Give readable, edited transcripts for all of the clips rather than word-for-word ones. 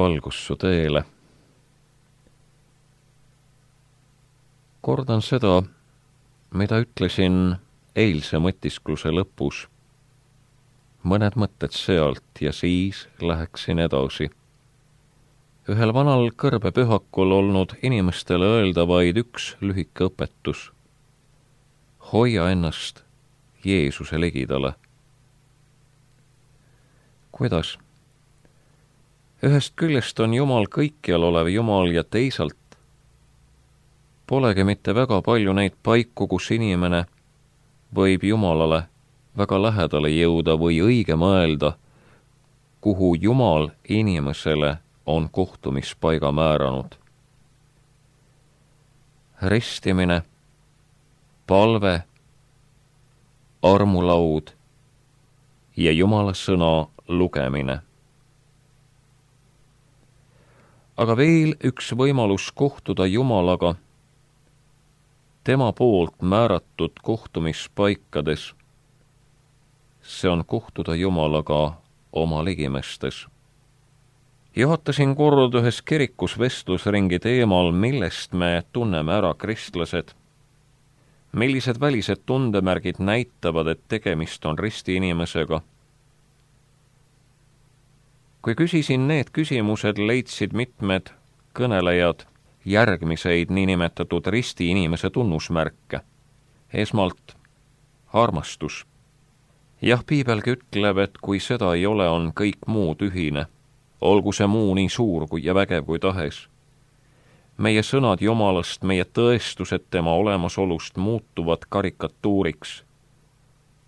valgus su teele. Kordan seda, mida ütlesin eilse mõtiskluse lõpus. Mõned mõtted sealt ja siis läheksin edasi. Ühel vanal kõrbepühakul olnud inimestele öelda vaid üks lühike õpetus. Hoia ennast Jeesuse ligidale. Kuidas? Ühest küljest on Jumal kõikjal olev Jumal ja teisalt polegi mitte väga palju neid paiku, kus inimene võib Jumalale väga lähedale jõuda või õige mõelda, kuhu Jumal inimesele on kohtumispaiga määranud. Ristimine, palve, armulaud ja Jumala sõna lugemine. Aga veel üks võimalus kohtuda Jumalaga tema poolt määratud kohtumispaikades. See on kohtuda Jumalaga oma ligimestes. Juhatasin kord ühes kirikus vestlusringi teemal, millest me tunneme ära kristlased. Millised välised tundemärgid näitavad, et tegemist on risti inimesega? Kui küsisin need küsimused, leidsid mitmed kõnelejad järgmiseid niinimetatud risti inimese tunnusmärke. Esmalt armastus. Jah, piibelgi ütleb, et kui seda ei ole, on kõik muu tühine. Olgu see muu nii suur ja vägev kui tahes. Meie sõnad Jumalast, meie tõestused tema olemasolust muutuvad karikatuuriks,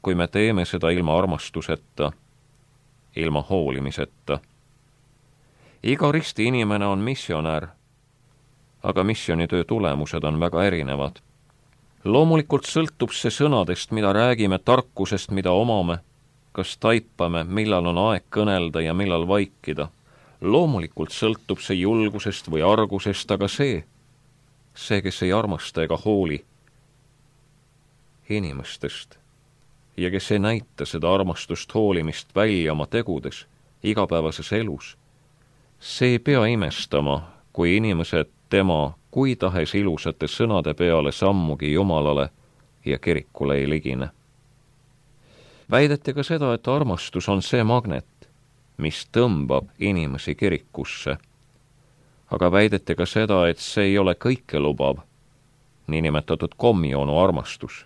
kui me teeme seda ilma armastuseta, ilma hoolimiseta. Iga risti inimene on missionär, aga missionitöö tulemused on väga erinevad. Loomulikult sõltub see sõnadest, mida räägime, tarkusest, mida omame, kas taipame, millal on aeg kõnelda ja millal vaikida. Loomulikult sõltub see julgusest või argusest, aga see, kes ei armasta ega hooli inimestest ja kes ei näita seda armastust hoolimist välja oma tegudes, igapäevases elus, see ei pea imestama, kui inimesed tema kui tahes ilusate sõnade peale sammugi Jumalale ja kirikule ei ligine. Väideti ka seda, et armastus on see magnet, mis tõmbab inimesi kirikusse. Aga väideti ka seda, et see ei ole kõike lubav, niinimetatud komjoonu armastus.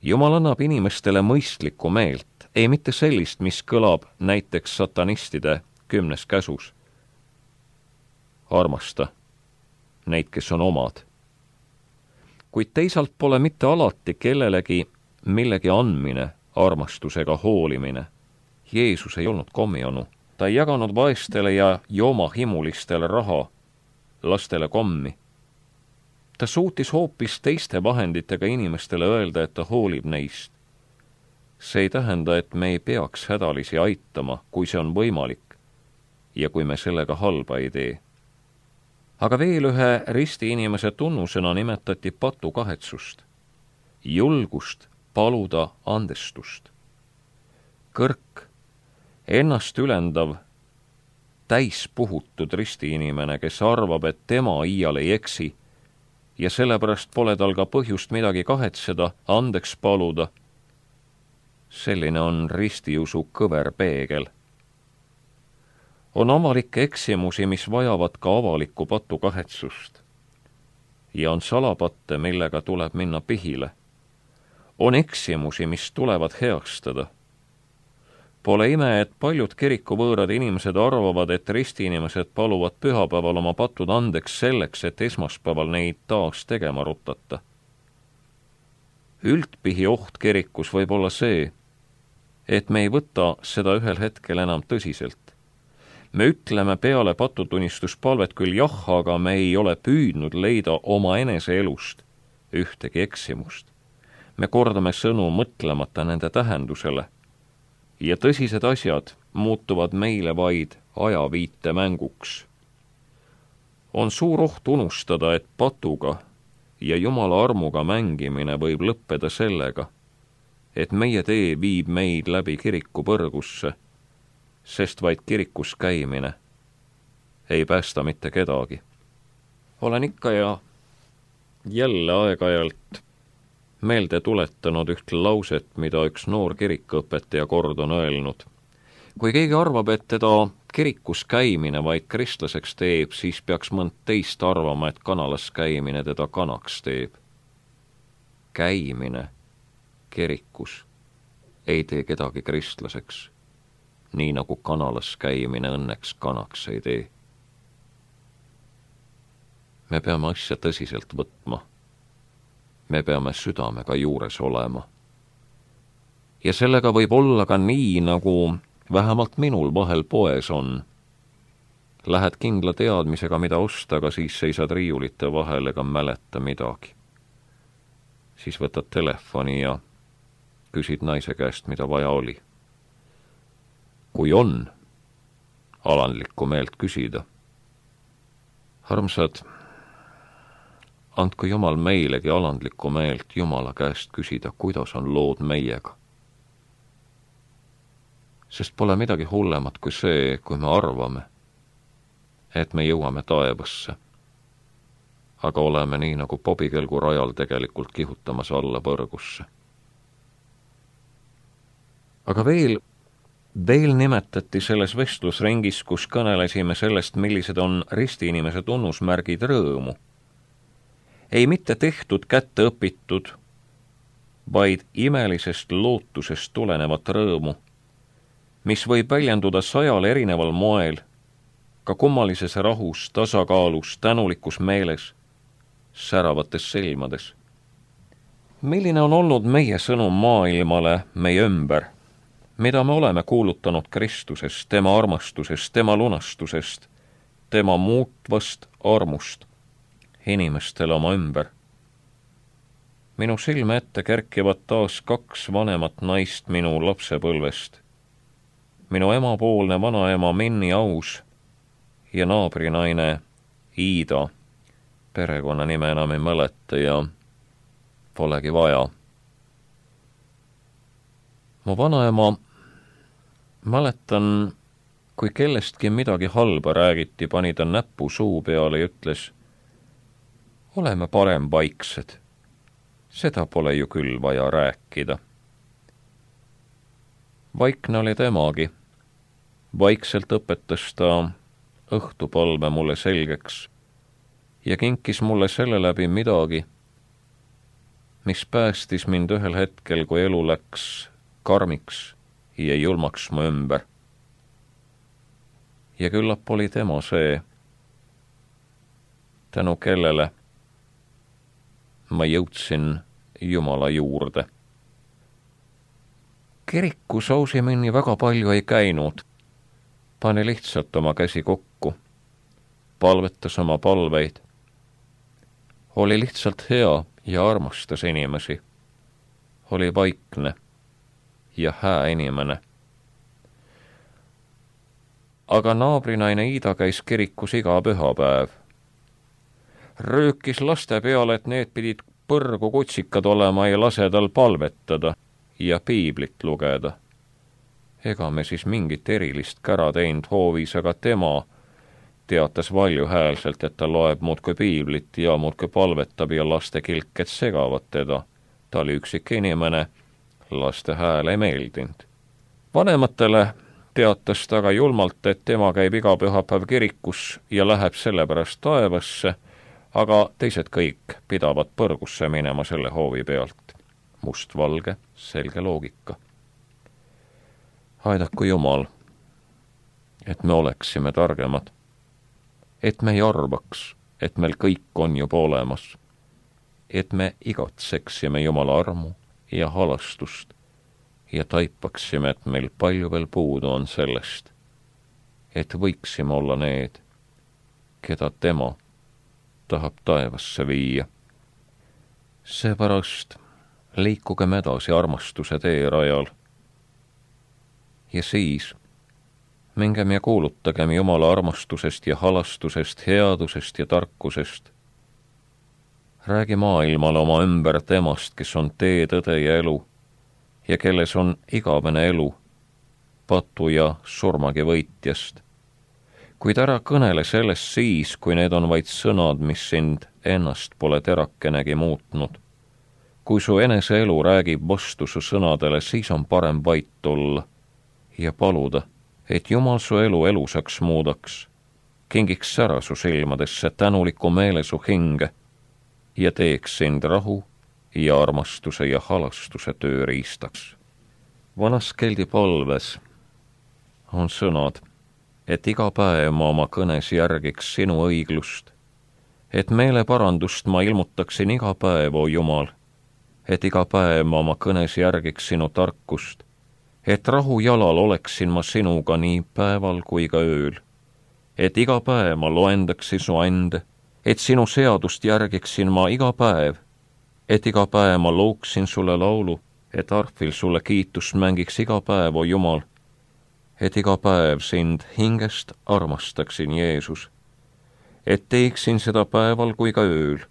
Jumal annab inimestele mõistlikku meelt, ei mitte sellist, mis kõlab näiteks satanistide 10. käsus. Armasta neid, kes on omad. Kuid teisalt pole mitte alati kellelegi millegi andmine, armastusega hoolimine. Jeesus ei olnud komjonu. Ta ei jaganud vaestele ja joomahimulistele raha, lastele kommi. Ta suutis hoopis teiste vahenditega inimestele öelda, et ta hoolib neist. See ei tähenda, et me ei peaks hädalisi aitama, kui see on võimalik ja kui me sellega halba ei tee. Aga veel ühe risti inimese tunnusena nimetati patukahetsust, julgust paluda andestust. Kõrk, ennast ülendav, täispuhutud risti inimene, kes arvab, et tema iial ei eksi ja sellepärast pole tal ka põhjust midagi kahetseda, andeks paluda. Selline on ristiusu kõver peegel. On avalikke eksimusi, mis vajavad ka avalikku patukahetsust. Ja on salapatte, millega tuleb minna pihile. On eksimusi, mis tulevad heastada. Pole ime, et paljud kirikuvõõrad inimesed arvavad, et ristiinimesed paluvad pühapäeval oma patud andeks selleks, et esmaspäeval neid taas tegema rutata. Üldpihi oht kirikus võib olla see, et me ei võta seda ühel hetkel enam tõsiselt. Me ütleme peale patutunnistuspalvet küll jah, aga me ei ole püüdnud leida oma enese elust ühtegi eksimust. Me kordame sõnu mõtlemata nende tähendusele ja tõsised asjad muutuvad meile vaid ajaviite mänguks. On suur oht unustada, et patuga ja Jumala armuga mängimine võib lõppeda sellega, et meie tee viib meid läbi kiriku põrgusse, sest vaid kirikus käimine ei päästa mitte kedagi. Olen ikka ja jälle aeg-ajalt meelde tuletanud üht lauset, mida üks noor kirikuõpetaja kord on öelnud. Kui keegi arvab, et teda kirikus käimine vaid kristlaseks teeb, siis peaks mõnd teist arvama, et kanalas käimine teda kanaks teeb. Käimine kirikus ei tee kedagi kristlaseks, nii nagu kanalas käimine õnneks kanaks ei tee. Me peame asja tõsiselt võtma. Me peame südamega juures olema. Ja sellega võib olla ka nii, nagu vähemalt minul vahel poes on. Lähed kindla teadmisega, mida osta, aga siis seisad riiulite vahel ega mäleta midagi. Siis võtad telefoni ja küsid naise käest, mida vaja oli. Kui on alandlikku meelt küsida. Armsad, andku Jumal meilegi alandlikku meelt Jumala käest küsida, kuidas on lood meiega. Sest pole midagi hullemat kui see, kui me arvame, et me jõuame taevasse. Aga oleme nii nagu pobikelgu rajal tegelikult kihutamas alla põrgusse. Aga veel nimetati selles vestlusringis, kus kõnelesime sellest, millised on ristiinimese tunnusmärgid rõõmu. Ei mitte tehtud kätte õpitud, vaid imelisest lootusest tulenevat rõõmu, mis võib väljenduda 100 erineval moel, ka kummalises rahus, tasakaalus, tänulikus meeles, säravates silmades. Milline on olnud meie sõnum maailmale meie ümber, mida me oleme kuulutanud Kristusest, tema armastusest, tema lunastusest, tema muutvast armust inimestele oma ümber. Minu silme ette kerkivad taas 2 vanemat naist minu lapsepõlvest. Minu emapoolne vanaema Minni Aus ja naabrinaine Iida, perekonnanime enam ei mäleta ja polegi vaja. Mu vanaema, mäletan, kui kellestki midagi halba räägiti, pani ta näpu suu peale ja ütles, oleme parem vaiksed, seda pole ju küll vaja rääkida. Vaikne oli temagi. Vaikselt õpetas ta õhtupalve mulle selgeks ja kinkis mulle selle läbi midagi, mis päästis mind ühel hetkel, kui elu läks karmiks ja julmaks mu ümber. Ja küllap oli tema see, tänu kellele ma jõudsin Jumala juurde. Kirikus Ausiminni väga palju ei käinud, pani lihtsalt oma käsi kokku, palvetas oma palveid, oli lihtsalt hea ja armastas inimesi, oli vaikne ja hää inimene. Aga naabrinaine Iida käis kirikus iga pühapäev. Röökis laste peale, et need pidid põrgu kutsikad olema ja lase tal palvetada ja piiblit lugeda. Ega me siis mingit erilist kära teinud hoovis, aga tema teatas valjuhäälselt, et ta loeb muudkui piiblit ja muudkui palvetab ja laste kilked segavad teda. Ta oli üksik inimene, laste hääl ei meeldinud. Vanematele teatas ta aga julmalt, et tema käib iga pühapäev kirikus ja läheb sellepärast taevasse, aga teised kõik pidavad põrgusse minema selle hoovi pealt. Mustvalge, selge loogika. Aidaku Jumal, et me oleksime targemad, et me ei arvaks, et meil kõik on juba olemas, et me igatseksime Jumala armu ja halastust ja taipaksime, et meil palju veel puudu on sellest, et võiksime olla need, keda tema tahab taevasse viia. Seepärast liikugem edasi armastuse teerajal ja siis mingem ja kuulutagem Jumala armastusest ja halastusest, headusest ja tarkusest. Räägi maailmale oma ümber temast, kes on tee, tõde ja elu ja kelles on igavene elu, patu ja surmagi võitjast. kuid ära kõnele sellest siis, kui need on vaid sõnad, mis sind ennast pole terakenegi muutnud. Kui su eneseelu räägib vastu su sõnadele, siis on parem vait olla ja paluda, et Jumal su elu elusaks muudaks, kingiks sära su silmadesse tänuliku meele su hinge ja teeks sind rahu ja armastuse ja halastuse tööriistaks. Vanas Keldi palves on sõnad, et iga päev ma oma kõnes järgiks sinu õiglust, et meeleparandust ma ilmutaksin iga päev, o Jumal, et iga päev ma oma kõnes järgiks sinu tarkust, et rahu jalal oleksin ma sinuga nii päeval kui ka ööl, et iga päev ma loendaksin su ande, et sinu seadust järgiksin ma iga päev, et iga päev ma looksin sulle laulu, et arfil sulle kiitust mängiks iga päev, o Jumal, et iga päev sind hingest armastaksin, Jeesus, et teeksin seda päeval kui ka ööl,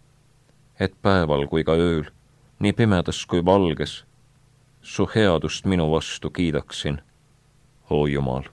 et päeval kui ka ööl, nii pimedas kui valges, su headust minu vastu kiidaksin, o Jumal.